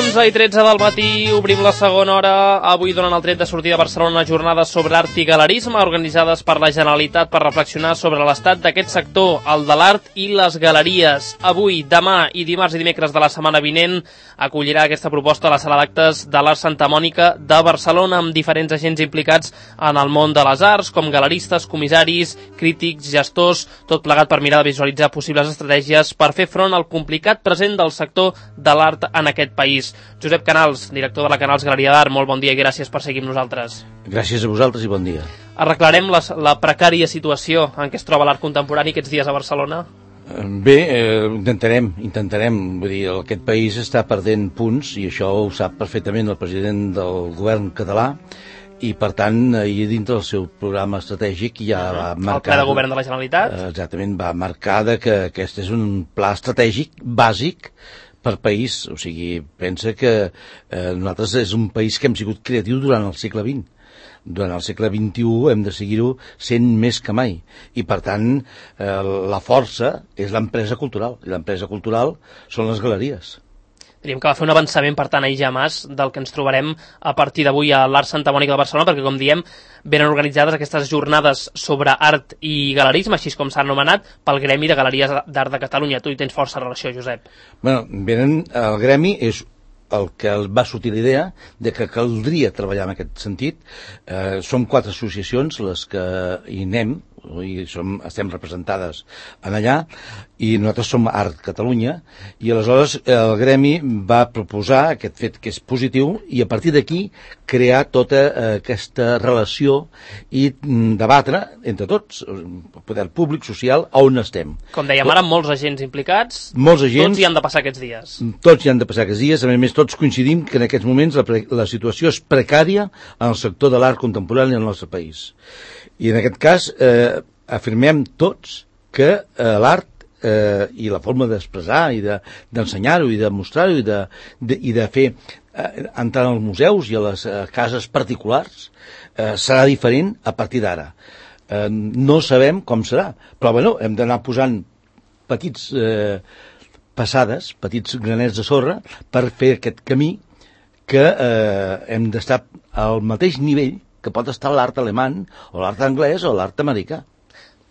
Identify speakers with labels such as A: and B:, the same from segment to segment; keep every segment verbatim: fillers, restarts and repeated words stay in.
A: onze i tretze del matí, obrim la segona hora. Avui, durant el tret de sortida a Barcelona, jornades sobre art i galerisme organitzades per la Generalitat per reflexionar sobre l'estat d'aquest sector, el de l'art i les galeries. Avui, demà i dimarts i dimecres de la setmana vinent acollirà aquesta proposta a la sala d'actes de l'Art Santa Mònica de Barcelona, amb diferents agents implicats en el món de les arts, com galeristes, comissaris, crítics, gestors, tot plegat per mirar de visualitzar possibles estratègies per fer front al complicat present del sector de l'art en aquest país. Josep Canals, director de la Canals Galeria d'Art, molt bon dia i gràcies per seguir amb nosaltres.
B: Gràcies a vosaltres i bon dia.
A: Arreglarem la, la precària situació en què es troba l'art contemporani aquests dies a Barcelona?
B: Bé, eh, intentarem, intentarem. Vull dir, aquest país està perdent punts i això ho sap perfectament el president del govern català i, per tant, ahir dintre del seu programa estratègic ja va marcar...
A: El ple de govern de la Generalitat?
B: Exactament, va marcar que aquest és un pla estratègic bàsic per país. O sigui, pensa que eh, nosaltres és un país que hem sigut creatius durant el segle vint. Durant el segle vint-i-u hem de seguir-ho sent més que mai. I, per tant, eh, la força és l'empresa cultural. I l'empresa cultural són les galeries.
A: Diríem que va fer un avançament, per tant, ahir ja mas del que ens trobarem a partir d'avui a l'Art Santa Mònica de Barcelona, perquè, com diem, venen organitzades aquestes jornades sobre art i galerisme, així com s'ha anomenat, pel Gremi de Galeries d'Art de Catalunya. Tu hi tens força relació, Josep.
B: Bueno, venen, el Gremi és el que va sortir l'idea de que caldria treballar en aquest sentit. Eh, som quatre associacions les que hi anem, i som, estem representades en allà, i nosaltres som Art Catalunya, i aleshores el Gremi va proposar aquest fet que és positiu, i a partir d'aquí crear tota eh, aquesta relació i mm, debatre entre tots, poder públic, social, on estem.
A: Com dèiem ara, molts agents implicats,
B: molts agents,
A: tots hi han de passar aquests dies.
B: Tots hi han de passar aquests dies, a més tots coincidim que en aquests moments la, la situació és precària en el sector de l'art contemporani al nostre país. I en aquest cas eh, afirmem tots que eh, l'art eh, i la forma d'expressar i d'ensenyar-ho de, i de mostrar-ho i, de, de, i de fer eh, entrar als museus i a les eh, cases particulars eh, serà diferent a partir d'ara. Eh, no sabem com serà, però bueno, hem d'anar posant petits eh, passades, petits granets de sorra per fer aquest camí que eh, hem d'estar al mateix nivell que pot estar l'art alemany, o l'art anglès, o l'art americà.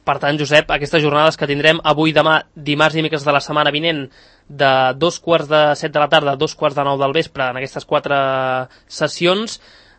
A: Per tant, Josep, aquestes jornades que tindrem avui, demà, dimarts i dimecres de la setmana vinent, de dos quarts de set de la tarda a dos quarts de nou del vespre, en aquestes quatre sessions,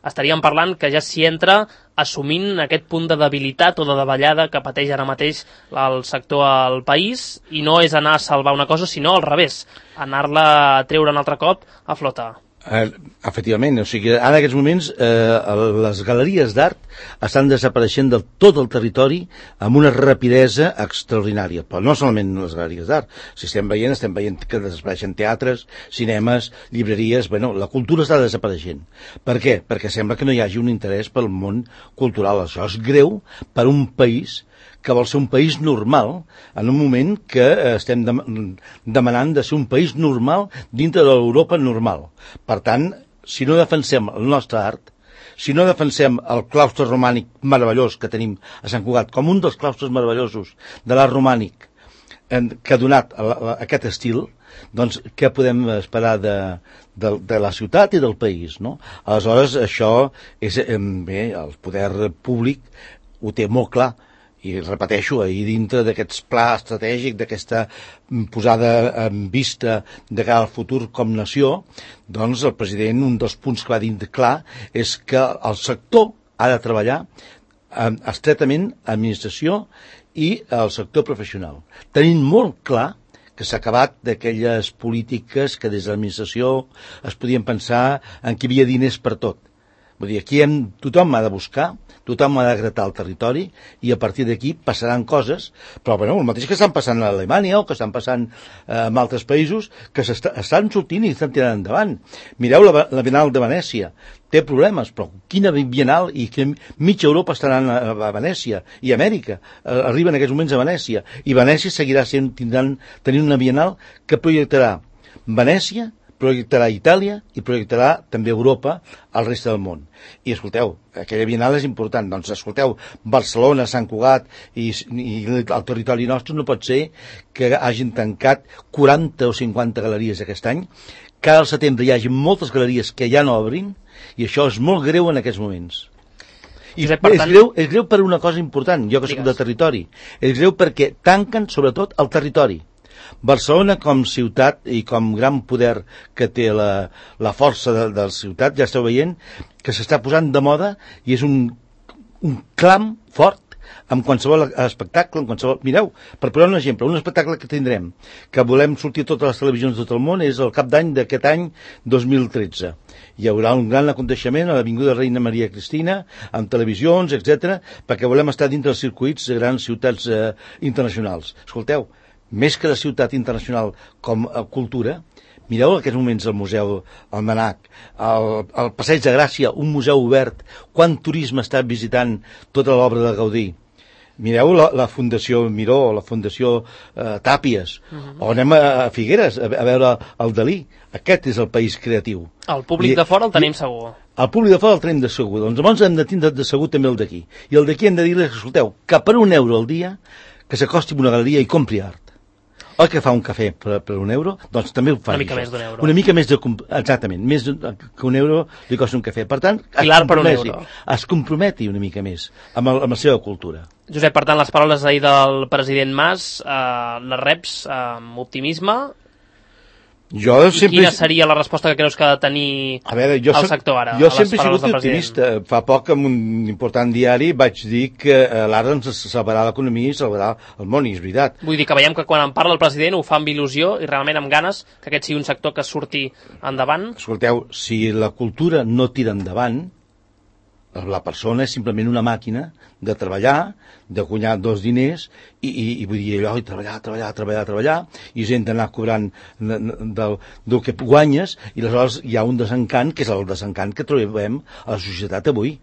A: estaríem parlant que ja s'hi entra assumint aquest punt de debilitat o de davallada que pateix ara mateix el sector al país, i no és anar a salvar una cosa, sinó al revés, anar-la a treure un altre cop a flotar.
B: Eh, efectivament, o sigui, ara en aquests moments eh, les galeries d'art estan desapareixent del tot el territori amb una rapidesa extraordinària, però no solament les galeries d'art. Si estem veient, estem veient que desapareixen teatres, cinemes, llibreries, bueno, la cultura està desapareixent. Per què? Perquè sembla que no hi hagi un interès pel món cultural. Això és greu per un país que vol ser un país normal, en un moment que estem demanant de ser un país normal dintre de l'Europa normal. Per tant, si no defensem el nostre art, si no defensem el claustre romànic meravellós que tenim a Sant Cugat, com un dels claustres meravellosos de l'art romànic que ha donat aquest estil, doncs què podem esperar de, de, de la ciutat i del país, no? Aleshores, això és, bé, el poder públic ho té molt clar. I repeteixo, ahir dintre d'aquest pla estratègic, d'aquesta posada en vista de cara al futur com nació, doncs el president, un dels punts que va dir clar és que el sector ha de treballar estretament administració i el sector professional. Tenint molt clar que s'ha acabat d'aquelles polítiques que des de l'administració es podien pensar en que hi havia diners per tot. Vull dir, aquí hem, tothom ha de buscar, tothom ha de gratar el territori i a partir d'aquí passaran coses, però bueno, el mateix que estan passant a Alemanya o que estan passant eh, en altres països que estan sortint i estan tirant endavant. Mireu la, la Bienal de Venècia, té problemes, però quina Bienal i que mitja Europa estaran a, a Venècia i Amèrica, eh, arriben en aquests moments a Venècia i Venècia seguirà sent, tindran, tenint una Bienal que projectarà Venècia, projectarà Itàlia i projectarà també Europa al reste del món. I escolteu, aquella Bienal és important, doncs escolteu, Barcelona, Sant Cugat i, i el territori nostre no pot ser que hagin tancat quaranta o cinquanta galeries aquest any que al setembre hi hagi moltes galeries que ja no obrin, i això és molt greu en aquests moments. I Josep, és, tant... greu, és greu per una cosa important, jo que soc de territori. És greu perquè tanquen, sobretot, el territori. Barcelona, com ciutat i com gran poder que té la, la força de, de la ciutat, ja esteu veient que s'està posant de moda i és un, un clam fort amb qualsevol espectacle, amb qualsevol... Mireu, per posar un exemple, un espectacle que tindrem, que volem sortir a totes les televisions de tot el món, és el cap d'any d'aquest any dos mil tretze. Hi haurà un gran aconteixement a l'Avinguda Reina Maria Cristina, amb televisions, etcètera, perquè volem estar dintre dels circuits de grans ciutats eh, internacionals. Escolteu, més que la ciutat internacional com a cultura, mireu en aquests moments el Museu Almanac, el, el Passeig de Gràcia, un museu obert, quant turisme està visitant tota l'obra de Gaudí. Mireu la, la Fundació Miró, la Fundació eh, Tàpies, uh-huh. o anem a, a Figueres a, a veure el Dalí. Aquest és el país creatiu.
A: El públic I, de fora el tenim i, segur.
B: El públic de fora el tenim de segur. Doncs llavors hem de tindre de segur també el d'aquí. I el d'aquí hem de dir-li, escolteu, que per un euro al dia que s'acosti a una galeria i compri art. Oi que fa un cafè per, per un euro? Doncs també ho fa.
A: Una mica això. Més d'un euro.
B: Una mica més de... Exactament, més que un euro li costa un cafè. Per tant,
A: I l'art per un euro.
B: Es comprometi una mica més amb, el, amb la seva cultura.
A: Josep, per tant, les paraules ahir del president Mas, eh, les reps eh, amb optimisme.
B: Jo sempre...
A: Quina seria la resposta que creus que ha de tenir a veure, jo el soc, sector ara?
B: Jo sempre he sigut optimista. Fa poc, en un important diari, vaig dir que l'art ens salvarà l'economia i salvarà el món, i és veritat.
A: Vull dir que veiem que quan en parla el president ho fa amb il·lusió i realment amb ganes que aquest sigui un sector que surti endavant.
B: Escolteu, si la cultura no tira endavant, la persona és simplement una màquina de treballar, de guanyar dos diners i, i, i vull dir allò, i treballar, treballar, treballar, treballar, i gent d'anar cobrant del, del que guanyes, i aleshores hi ha un desencant, que és el desencant que trobem a la societat avui,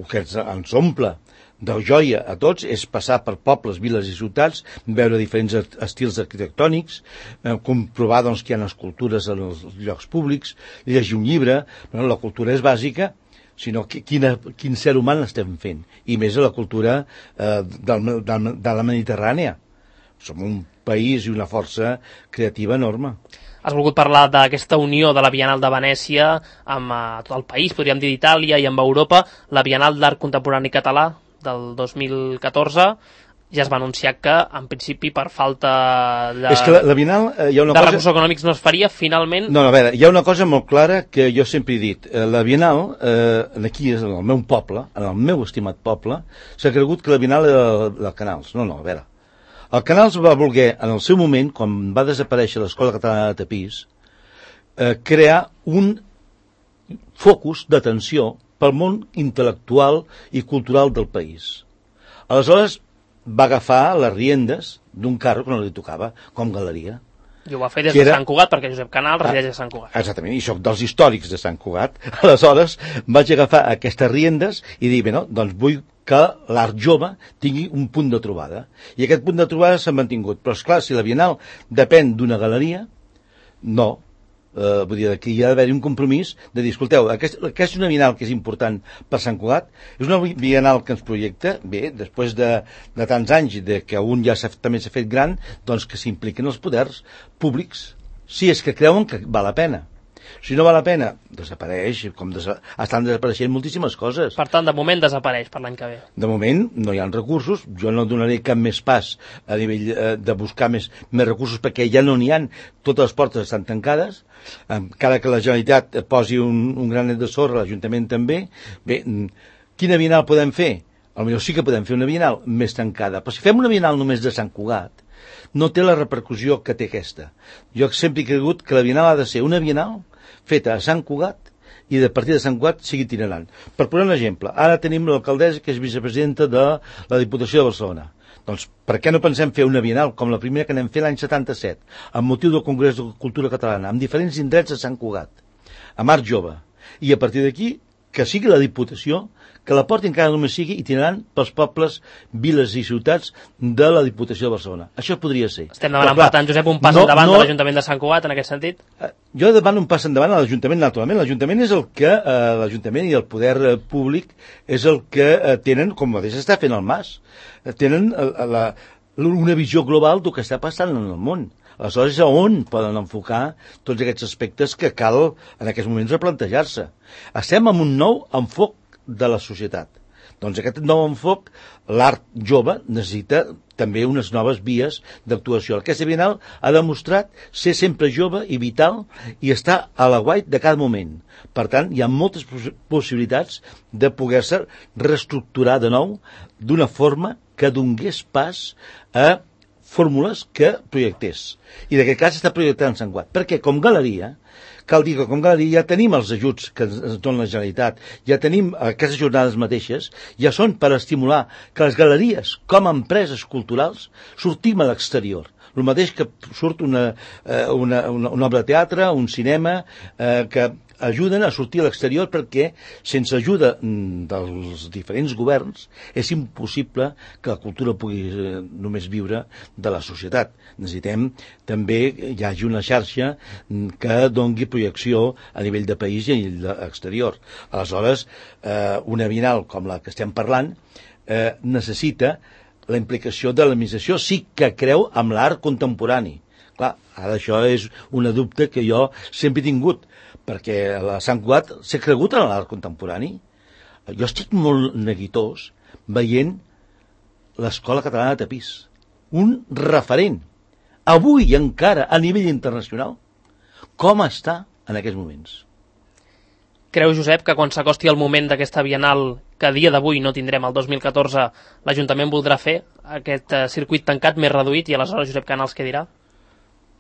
B: que ens omple de joia a tots, és passar per pobles, viles i ciutats, veure diferents estils arquitectònics, eh, comprovar doncs, que hi ha escultures en els llocs públics, llegir un llibre. Bueno, la cultura és bàsica, sinó que, quina, quin ser humà l'estem fent, i més a la cultura eh, del, del, de la Mediterrània. Som un país i una força creativa enorme.
A: Has volgut parlar d'aquesta unió de la Bienal de Venècia amb eh, tot el país, podríem dir d'Itàlia i amb Europa, la Bienal d'Art Contemporani Català del dos mil catorze, ja es va anunciar que, en principi, per falta de,
B: és que la, la Bienal, eh, hi ha una
A: de
B: cosa...
A: recursos econòmics no es faria, finalment...
B: No, no, a veure, hi ha una cosa molt clara que jo sempre he dit. Eh, la Bienal, eh, aquí, en el meu poble, en el meu estimat poble, s'ha cregut que la Bienal era del Canals. No, no, a veure. El Canals va voler, en el seu moment, quan va desaparèixer l'Escola Catalana de Tapís, eh, crear un focus d'atenció pel món intel·lectual i cultural del país. Aleshores, va agafar les riendes d'un carro que no li tocava, com galeria.
A: I ho va fer des de era... Sant Cugat, perquè Josep Canal resideix a Sant Cugat.
B: Exactament, i soc dels històrics de Sant Cugat. Aleshores, vaig agafar aquestes riendes i dir, bé, no, doncs vull que l'art jove tingui un punt de trobada. I aquest punt de trobada s'ha mantingut. Però, esclar, si la Bienal depèn d'una galeria, no. Uh, vull dir, que hi ha d'haver un compromís de dir, escolteu, aquesta, aquesta és una Bienal que és important per Sant Cugat, és una Bienal que ens projecta, bé, després de, de tants anys de que un ja també s'ha fet gran, doncs que s'impliquen els poders públics, si és que creuen que val la pena. Si no val la pena, desapareix, com desa... estan desapareixent moltíssimes coses.
A: Per tant, de moment desapareix per l'any que ve.
B: De moment no hi ha recursos, jo no donaré cap més pas a nivell eh, de buscar més, més recursos perquè ja no n'hi ha, totes les portes estan tancades, encara que la Generalitat posi un, un granet de sorra, l'Ajuntament també. Bé, quina Bienal podem fer? Potser sí que podem fer una Bienal més tancada, però si fem una Bienal només de Sant Cugat, no té la repercussió que té aquesta. Jo sempre he cregut que la Bienal ha de ser una Bienal feta a Sant Cugat i de partir de Sant Cugat sigui itinerant. Per posar un exemple, ara tenim l'alcaldessa que és vicepresidenta de la Diputació de Barcelona. Doncs per què no pensem fer una Bienal com la primera que anem fer l'any setanta-set, amb motiu del Congrés de Cultura Catalana, amb diferents indrets a Sant Cugat, amb art jove, i a partir d'aquí que sigui la Diputació que la porti encara només sigui itinerant pels pobles, viles i ciutats de la Diputació de Barcelona. Això podria ser.
A: Estem demanant, per tant, Josep, un pas no, endavant no, de l'Ajuntament de Sant Cugat en aquest sentit?
B: Jo demano un pas endavant a l'Ajuntament, naturalment. L'Ajuntament és el que, eh, l'Ajuntament i el poder eh, públic és el que eh, tenen, com mateix està fent el Mas, eh, tenen eh, la, una visió global del que està passant en el món. Aleshores, a on poden enfocar tots aquests aspectes que cal en aquests moments replantejar-se? Estem en un nou enfoc de la societat. Doncs aquest nou enfoc, l'art jove necessita també unes noves vies d'actuació. Aquesta Bienal ha demostrat ser sempre jove i vital i estar a l'aguait de cada moment. Per tant, hi ha moltes possibilitats de poder-se reestructurar de nou d'una forma que donés pas a fórmules que projectés. I d'aquest cas està projectant Sant Cugat. Perquè com galeria, cal dir que com galeria ja tenim els ajuts que ens dona la Generalitat, ja tenim aquestes jornades mateixes, ja són per estimular que les galeries, com a empreses culturals, sortim a l'exterior. El mateix que surt una, una, una, una obra de teatre, un cinema, eh, que ajuden a sortir a l'exterior perquè sense ajuda dels diferents governs és impossible que la cultura pugui només viure de la societat. Necessitem també que hi hagi una xarxa que dongui projecció a nivell de país i a nivell exterior. Aleshores, eh, una Bienal com la que estem parlant eh, necessita la implicació de l'administració, sí que creu amb l'art contemporani. Clar, ara això és una dubte que jo sempre he tingut, perquè a Sant Cugat s'ha cregut en l'art contemporani. Jo estic molt neguitós veient l'Escola Catalana de Tapís, un referent, avui encara a nivell internacional, com està en aquests moments.
A: Creu, Josep, que quan s'acosti el moment d'aquesta Bienal, que a dia d'avui no tindrem el dos mil catorze, l'Ajuntament voldrà fer aquest eh, circuit tancat més reduït i aleshores Josep Canals què dirà?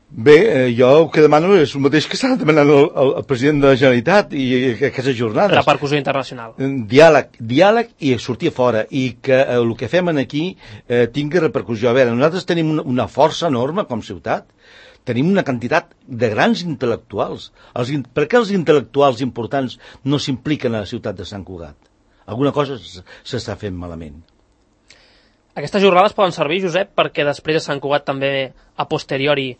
B: Bé, eh, jo el que demano és el mateix que està demanant el, el, el president de la Generalitat i, i aquestes jornades.
A: Repercussió internacional.
B: Diàleg, diàleg i sortir fora, i que eh, el que fem aquí eh, tingui repercussió. A veure, nosaltres tenim una, una força enorme com ciutat, tenim una quantitat de grans intel·lectuals. Els, per què els intel·lectuals importants no s'impliquen a la ciutat de Sant Cugat? Alguna cosa s'està fent malament.
A: Aquestes jornades poden servir, Josep, perquè després a Sant Cugat també a posteriori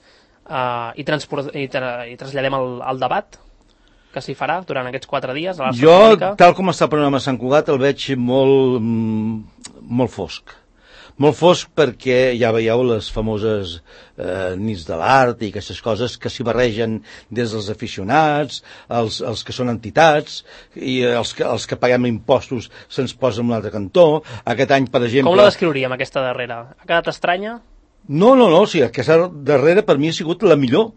A: Uh, i, i, tra i traslladem el, el debat que s'hi farà durant aquests quatre dies a l'Art
B: Jo,
A: Folclòrica.
B: Tal com està el programa Sant Cugat, el veig molt, molt fosc. Molt fosc perquè ja veieu les famoses eh, nits de l'art i aquestes coses que s'hi barregen des dels aficionats, els, els que són entitats, i els que, els que paguem impostos se'ns posen en un altre cantó. Aquest any, per exemple...
A: Com la descriuríem, aquesta darrera? Ha quedat estranya?
B: No, no, no, o sigui, aquesta darrera per mi ha sigut la millor.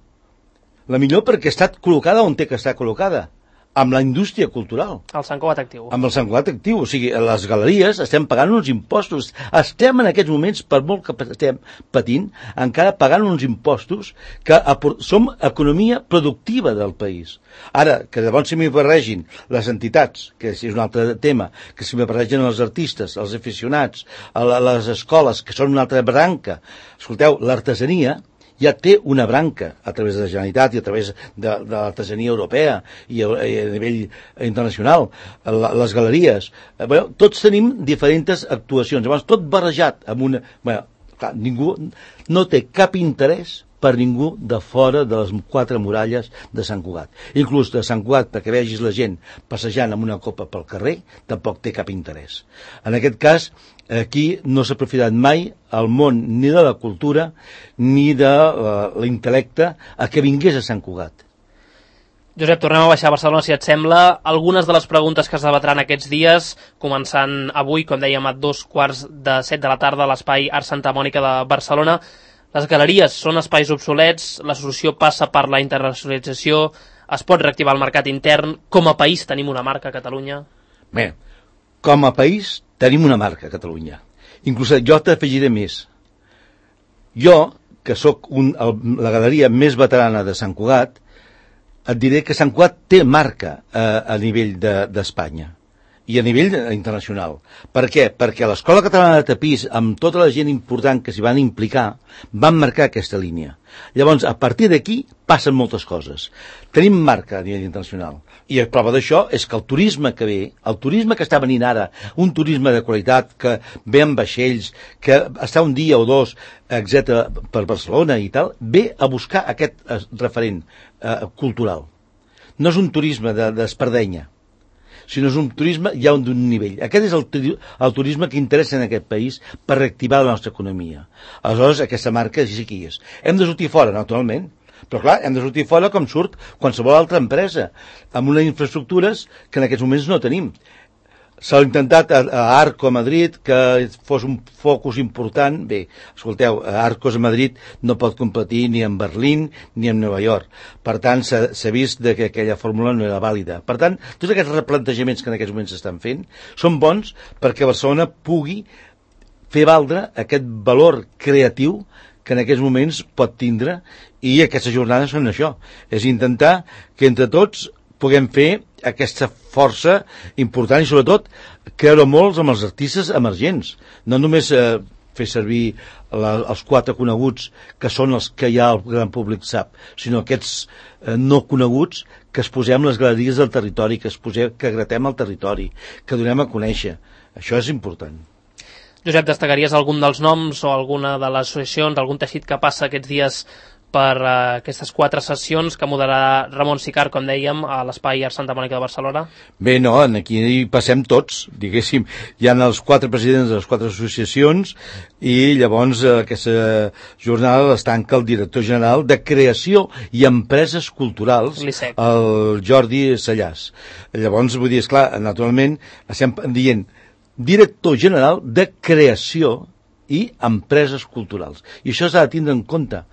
B: La millor perquè ha estat col·locada on té que estar col·locada, amb la indústria cultural.
A: El Sant Cugat Actiu. Amb
B: el Sant Cugat Actiu, o sigui, les galeries estem pagant uns impostos. Estem en aquests moments, per molt que estem patint, encara pagant uns impostos que som economia productiva del país. Ara, que llavors si m'hi barregin les entitats, que és un altre tema, que si m'hi barregen els artistes, els aficionats, les escoles, que són una altra branca. Escolteu, l'artesania ja té una branca a través de la Generalitat i a través de, de l'artesania europea i a, i a nivell internacional, la, les galeries. Eh, bueno, tots tenim diferents actuacions, llavors tot barrejat amb una... Bueno, clar, ningú no té cap interès per ningú de fora de les quatre muralles de Sant Cugat. Inclús de Sant Cugat, perquè vegis la gent passejant amb una copa pel carrer, tampoc té cap interès. En aquest cas, aquí no s'ha aprofitat mai el món ni de la cultura ni de uh, l'intel·lecte a que vingués a Sant Cugat.
A: Josep, tornem a baixar a Barcelona, si et sembla. Algunes de les preguntes que es debatran aquests dies, començant avui, com dèiem, a dos quarts de set de la tarda a l'espai Art Santa Mònica de Barcelona. Les galeries són espais obsolets, la solució passa per la internacionalització, es pot reactivar el mercat intern, com a país tenim una marca a Catalunya?
B: Bé, com a país tenim una marca a Catalunya. Inclús jo t'afegiré més. Jo, que sóc un, el, la galeria més veterana de Sant Cugat, et diré que Sant Cugat té marca a, a nivell d'Espanya. De, i a nivell internacional. Per què? Perquè l'Escola Catalana de Tapís, amb tota la gent important que s'hi van implicar, van marcar aquesta línia. Llavors, a partir d'aquí, passen moltes coses. Tenim marca a nivell internacional. I la prova d'això és que el turisme que ve, el turisme que està venint ara, un turisme de qualitat, que ve amb vaixells, que està un dia o dos, etcètera, per Barcelona i tal, ve a buscar aquest referent eh, cultural. No és un turisme d'espardenya, sinó és un turisme ja d'un nivell. Aquest és el, el turisme que interessa en aquest país per reactivar la nostra economia. Aleshores, aquesta marca sí que hi és. Hem de sortir fora, naturalment, però clar, hem de sortir fora com surt qualsevol altra empresa, amb unes infraestructures que en aquests moments no tenim. S'ha intentat a, a Arco a Madrid que fos un focus important. Bé, escolteu, Arcos a Madrid no pot competir ni en Berlín ni en Nova York. Per tant, s'ha vist de que aquella fórmula no era vàlida. Per tant, tots aquests replantejaments que en aquests moments s'estan fent són bons perquè Barcelona pugui fer valdre aquest valor creatiu que en aquests moments pot tindre, i aquestes jornades són això. És intentar que entre tots puguem fer aquesta força important i sobretot creure molts amb els artistes emergents. No només eh, fer servir la, els quatre coneguts que són els que ja el gran públic sap, sinó aquests eh, no coneguts que es posem les galeries del territori, que es posem, que gratem el territori, que donem a conèixer. Això és important.
A: Josep, destacaries algun dels noms o alguna de les associacions, algun teixit que passa aquests dies per uh, aquestes quatre sessions que moderarà Ramon Sicart, com dèiem, a l'Espai Art Santa Mònica de Barcelona?
B: Bé, no, aquí passem tots, diguéssim. Hi ha els quatre presidents de les quatre associacions i llavors eh, aquesta jornada es tanca el director general de Creació i Empreses Culturals, el Jordi Sallàs. Llavors, vull dir, esclar, naturalment, estem dient director general de Creació i Empreses Culturals. I això s'ha de tindre en compte.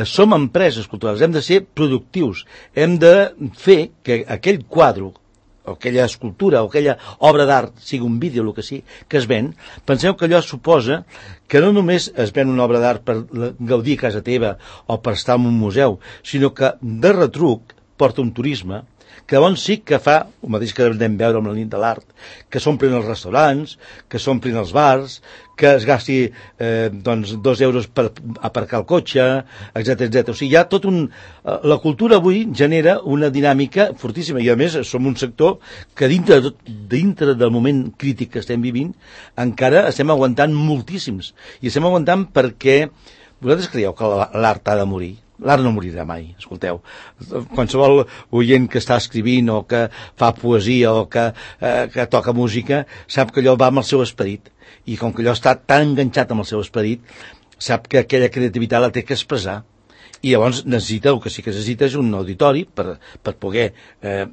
B: Som empreses culturals, hem de ser productius, hem de fer que aquell quadre, o aquella escultura, o aquella obra d'art, sigui un vídeo, el que sigui, que es ven, penseu que allò suposa que no només es ven una obra d'art per gaudir a casa teva o per estar en un museu, sinó que de retruc porta un turisme que llavors sí que fa, el mateix que anem a veure amb la nit de l'art, que s'omplin els restaurants, que s'omplin els bars, que es gasti eh, doncs, dos euros per aparcar el cotxe, etcètera, etcètera. O sigui, hi ha tot un... La cultura avui genera una dinàmica fortíssima i, a més, som un sector que dintre, de tot, dintre del moment crític que estem vivint encara estem aguantant moltíssims. I estem aguantant perquè... Vosaltres creieu que l'art ha de morir? L'art no morirà mai, escolteu. Qualsevol oient que està escrivint o que fa poesia o que, eh, que toca música sap que allò va amb el seu esperit. I com que allò està tan enganxat amb el seu esperit, sap que aquella creativitat la té que expressar. I llavors necessita, el que sí que necessita és un auditori per, per poder eh,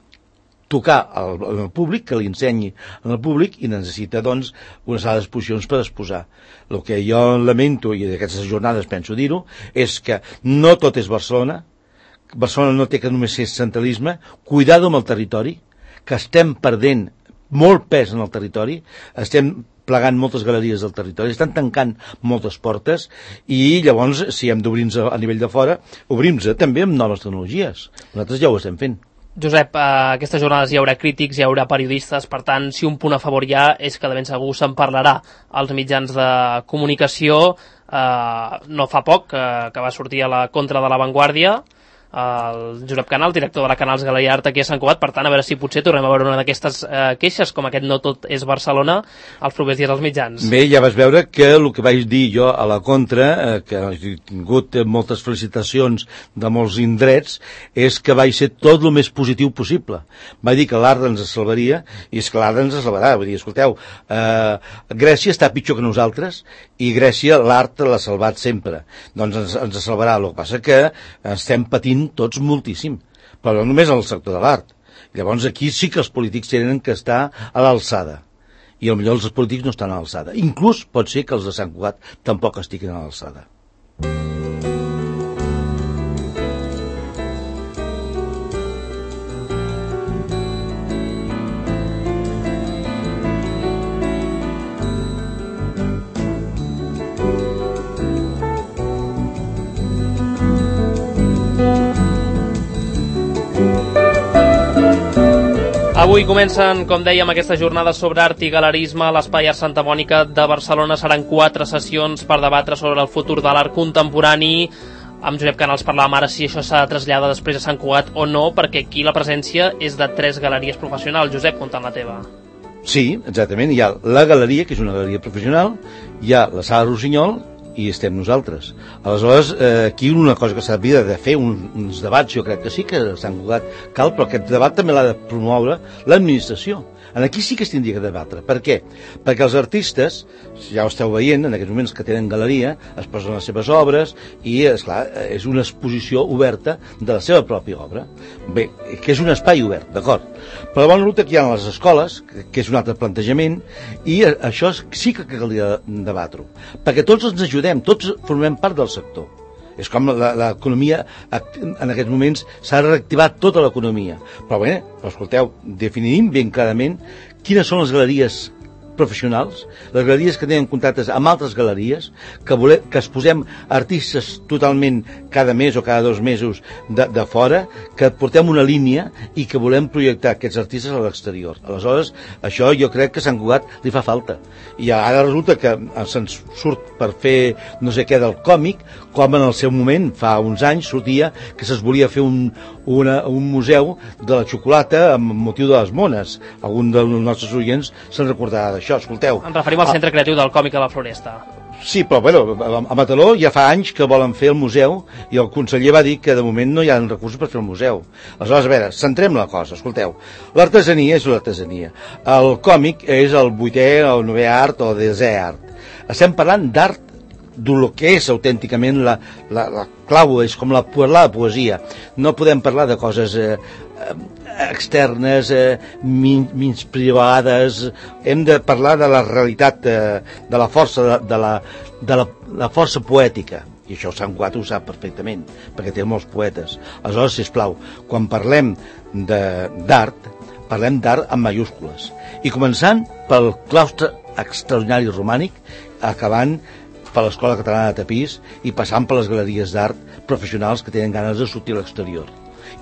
B: tocar al, al públic, que li ensenyi al públic, i necessita, doncs, unes sala d'exposicions per exposar. El que jo lamento, i d'aquestes jornades penso dir-ho, és que no tot és Barcelona, Barcelona no té que només ser centralisme, cuidado amb el territori, que estem perdent molt pes en el territori, estem plegant moltes galeries del territori, estan tancant moltes portes, i llavors, si hem d'obrir-nos a nivell de fora, obrim-nos també amb noves tecnologies. Nosaltres ja ho estem fent.
A: Josep, a aquestes jornades hi haurà crítics, hi haurà periodistes, per tant, si un punt a favor hi ha és que de ben segur se'n parlarà als mitjans de comunicació. Eh, no fa poc que, que va sortir a la contra de La Vanguardia el Josep Canal, director de la Canals Galeria Art aquí a Sant Cugat. Per tant, a veure si potser tornem a veure una d'aquestes eh, queixes, com aquest no tot és Barcelona, els propers dies als mitjans.
B: Bé, ja vas veure que el que vaig dir jo a la contra, eh, que he tingut moltes felicitacions de molts indrets, és que vaig ser tot el més positiu possible. Vaig dir que l'art ens salvaria, i és que l'art ens salvarà. Vull dir, escolteu, eh, Grècia està pitjor que nosaltres, i Grècia l'art l'ha salvat sempre. Doncs ens, ens salvarà. El que passa que estem patint tots moltíssim, però no només en el sector de l'art. Llavors aquí sí que els polítics tenen que estar a l'alçada, i potser els polítics no estan a l'alçada. Inclús pot ser que els de Sant Cugat tampoc estiguin a l'alçada.
A: Avui comencen, com dèiem, aquestes jornades sobre art i galerisme. L'Espai Art Santa Mònica de Barcelona seran quatre sessions per debatre sobre el futur de l'art contemporani. Amb Josep Canals parlàvem ara si això s'ha de traslladar després a Sant Cugat o no, perquè aquí la presència és de tres galeries professionals. Josep, comptant la teva.
B: Sí, exactament. Hi ha la galeria, que és una galeria professional, hi ha la Sala Rossinyol, i estem nosaltres. Aleshores, eh, aquí una cosa que s'havia de fer, un, uns debats, jo crec que sí que a Sant Cugat cal, però aquest debat també l'ha de promoure l'administració. Aquí sí que es tindria que debatre. Per què? Perquè els artistes, ja ho esteu veient, en aquests moments que tenen galeria, es posen les seves obres i, esclar, és una exposició oberta de la seva pròpia obra. Bé, que és un espai obert, d'acord. Però la bona ruta que hi ha a les escoles, que és un altre plantejament, i això sí que caldria debatre-ho. Perquè tots ens ajudem, tots formem part del sector. És com l'economia, en aquests moments s'ha reactivat tota l'economia. Però bé, però escolteu, definim ben clarament quines són les galeries professionals, les galeries que tenen contactes amb altres galeries, que, volem, que es posem artistes totalment cada mes o cada dos mesos de, de fora, que portem una línia i que volem projectar aquests artistes a l'exterior. Aleshores, això jo crec que a Sant Cugat li fa falta. I ara resulta que se'ns surt per fer no sé què del còmic, com en el seu moment, fa uns anys, sortia que se'ls volia fer un, una, un museu de la xocolata amb motiu de les mones. Algun dels nostres oients se'n recordarà d'això, escolteu.
A: Ens referim al Centre Creatiu del Còmic a la Floresta.
B: Sí, però bueno, a Mataró ja fa anys que volen fer el museu i el conseller va dir que de moment no hi ha recursos per fer el museu. Aleshores, a veure, centrem la cosa, escolteu. L'artesania és l'artesania. El còmic és el vuitè o el novè art o desè art. Estem parlant d'art del que és autènticament la, la, la clau, és com la, la poesia. No podem parlar de coses eh, externes, eh, menys privades. Hem de parlar de la realitat, eh, de la força, de, de, la, de la, la força poètica. I això Sant Cugat ho sap perfectament, perquè té molts poetes. Aleshores, sisplau, quan parlem d'art, parlem d'art amb mayúscules. I començant pel claustre extraordinari romànic, acabant per l'Escola Catalana de Tapís i passant per les galeries d'art professionals que tenen ganes de sortir a l'exterior.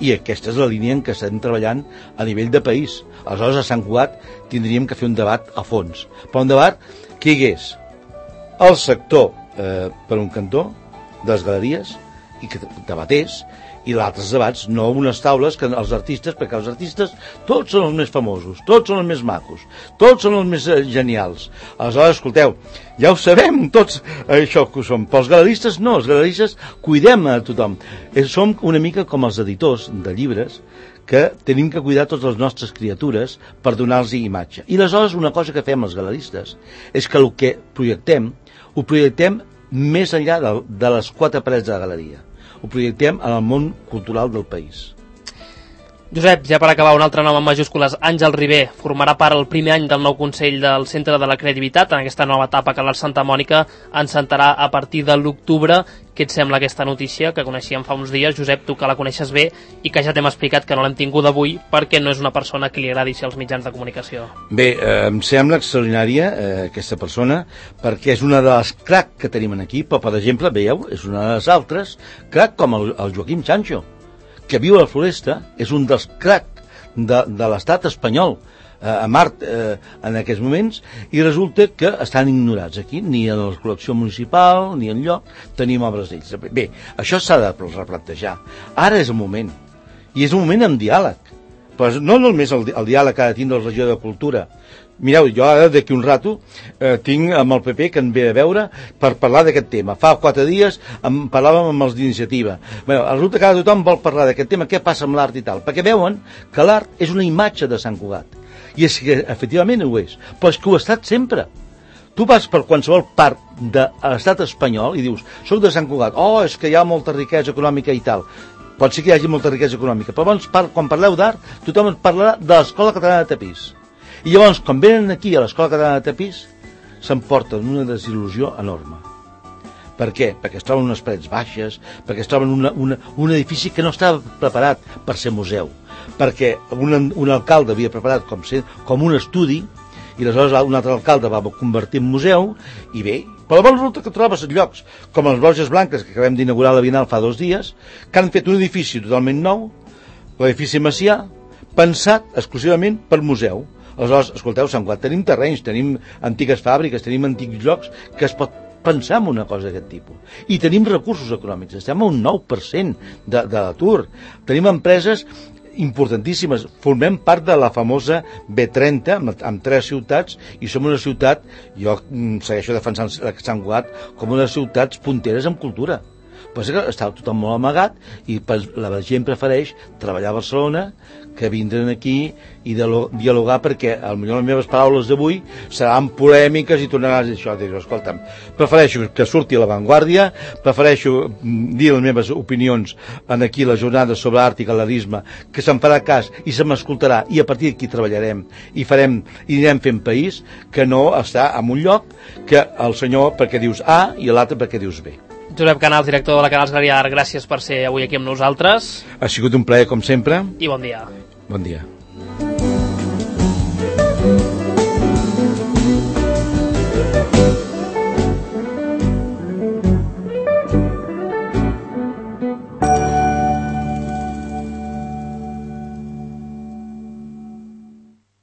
B: I aquesta és la línia en què estem treballant a nivell de país. Aleshores, a Sant Cugat tindríem que fer un debat a fons. Però un debat que hi hagués el sector eh, per un cantó de les galeries i que debatés, i d'altres debats, no unes taules que els artistes, perquè els artistes tots són els més famosos, tots són els més macos, tots són els més genials. Aleshores, escolteu, ja ho sabem tots això que som, però els galeristes no, els galeristes cuidem a tothom. Som una mica com els editors de llibres, que tenim que cuidar totes les nostres criatures per donar-los imatge. I aleshores una cosa que fem els galeristes és que el que projectem, ho projectem més enllà de, de les quatre parets de la galeria. Ho projectem en el món cultural del país.
A: Josep, ja per acabar, un altre nom en majúscules, Àngel Ribé, formarà part el primer any del nou Consell del Centre de la Creativitat en aquesta nova etapa que l'Art Santa Mònica encetarà a partir de l'octubre. Què et sembla aquesta notícia que coneixíem fa uns dies? Josep, tu que la coneixes bé i que ja t'hem explicat que no l'hem tingut avui perquè no és una persona que li agradi ser als mitjans de comunicació.
B: Bé, eh, em sembla extraordinària eh, aquesta persona perquè és una de les crac que tenim aquí, però per exemple, veieu, és una de les altres crac com el, el Joaquim Sancho, que viu a la Floresta, és un dels crac de, de l'estat espanyol eh, a Mart eh, en aquests moments, i resulta que estan ignorats aquí, ni a la col·lecció municipal ni enlloc tenim obres d'ells. Bé, això s'ha de replantejar. Ara és el moment, i és un moment amb diàleg, però no només el, el diàleg que ha de tindre la regió de cultura. Mireu, jo ara d'aquí un rato eh, tinc amb el P P que em ve a veure per parlar d'aquest tema. Fa quatre dies em parlàvem amb els d'Iniciativa. Bé, resulta que ara tothom vol parlar d'aquest tema, què passa amb l'art i tal, perquè veuen que l'art és una imatge de Sant Cugat. I és que efectivament ho és, però és que ho ha estat sempre. Tu vas per qualsevol part de l'estat espanyol i dius, soc de Sant Cugat, oh, és que hi ha molta riquesa econòmica i tal. Pot ser que hi hagi molta riquesa econòmica, però llavors, quan parleu d'art, tothom ens parlarà de l'Escola Catalana de Tapís. I llavors, quan venen aquí a l'Escola Catalana de Tapís, s'emporten una desil·lusió enorme. Per què? Perquè es troben unes parets baixes, perquè es troben una, una, un edifici que no estava preparat per ser museu, perquè un, un alcalde havia preparat com, ser, com un estudi, i aleshores un altre alcalde va convertir en museu, i bé, però llavors resulta que trobes llocs com les Borges Blanques, que acabem d'inaugurar la Bienal fa dos dies, que han fet un edifici totalment nou, l'edifici Macià, pensat exclusivament per museu. Aleshores, escolteu, Sant Cugat, tenim terrenys, tenim antigues fàbriques, tenim antics llocs que es pot pensar en una cosa d'aquest tipus. I tenim recursos econòmics, estem a un nou per cent de, de l'atur. Tenim empreses importantíssimes, formem part de la famosa B trenta amb, amb tres ciutats i som una ciutat, jo segueixo defensant Sant Cugat com una ciutats punteres en cultura. Pues està tothom molt amagat i la gent prefereix treballar a Barcelona que vindran aquí i dialogar, perquè potser les meves paraules d'avui seran polèmiques i tornaràs a dir això. Dir, escolta'm, prefereixo que surti a l'avantguàrdia, prefereixo dir les meves opinions en aquí la jornada sobre art i galerisme, que se'n farà cas i se m'escoltarà i a partir d'aquí treballarem i farem i anirem fent país, que no estar en un lloc que el senyor perquè dius A i l'altre perquè dius B.
A: Josep Canals, director de la Canals Galeria d'Art, gràcies per ser avui aquí amb nosaltres.
B: Ha sigut un plaer com sempre.
A: I bon dia.
B: Bon dia.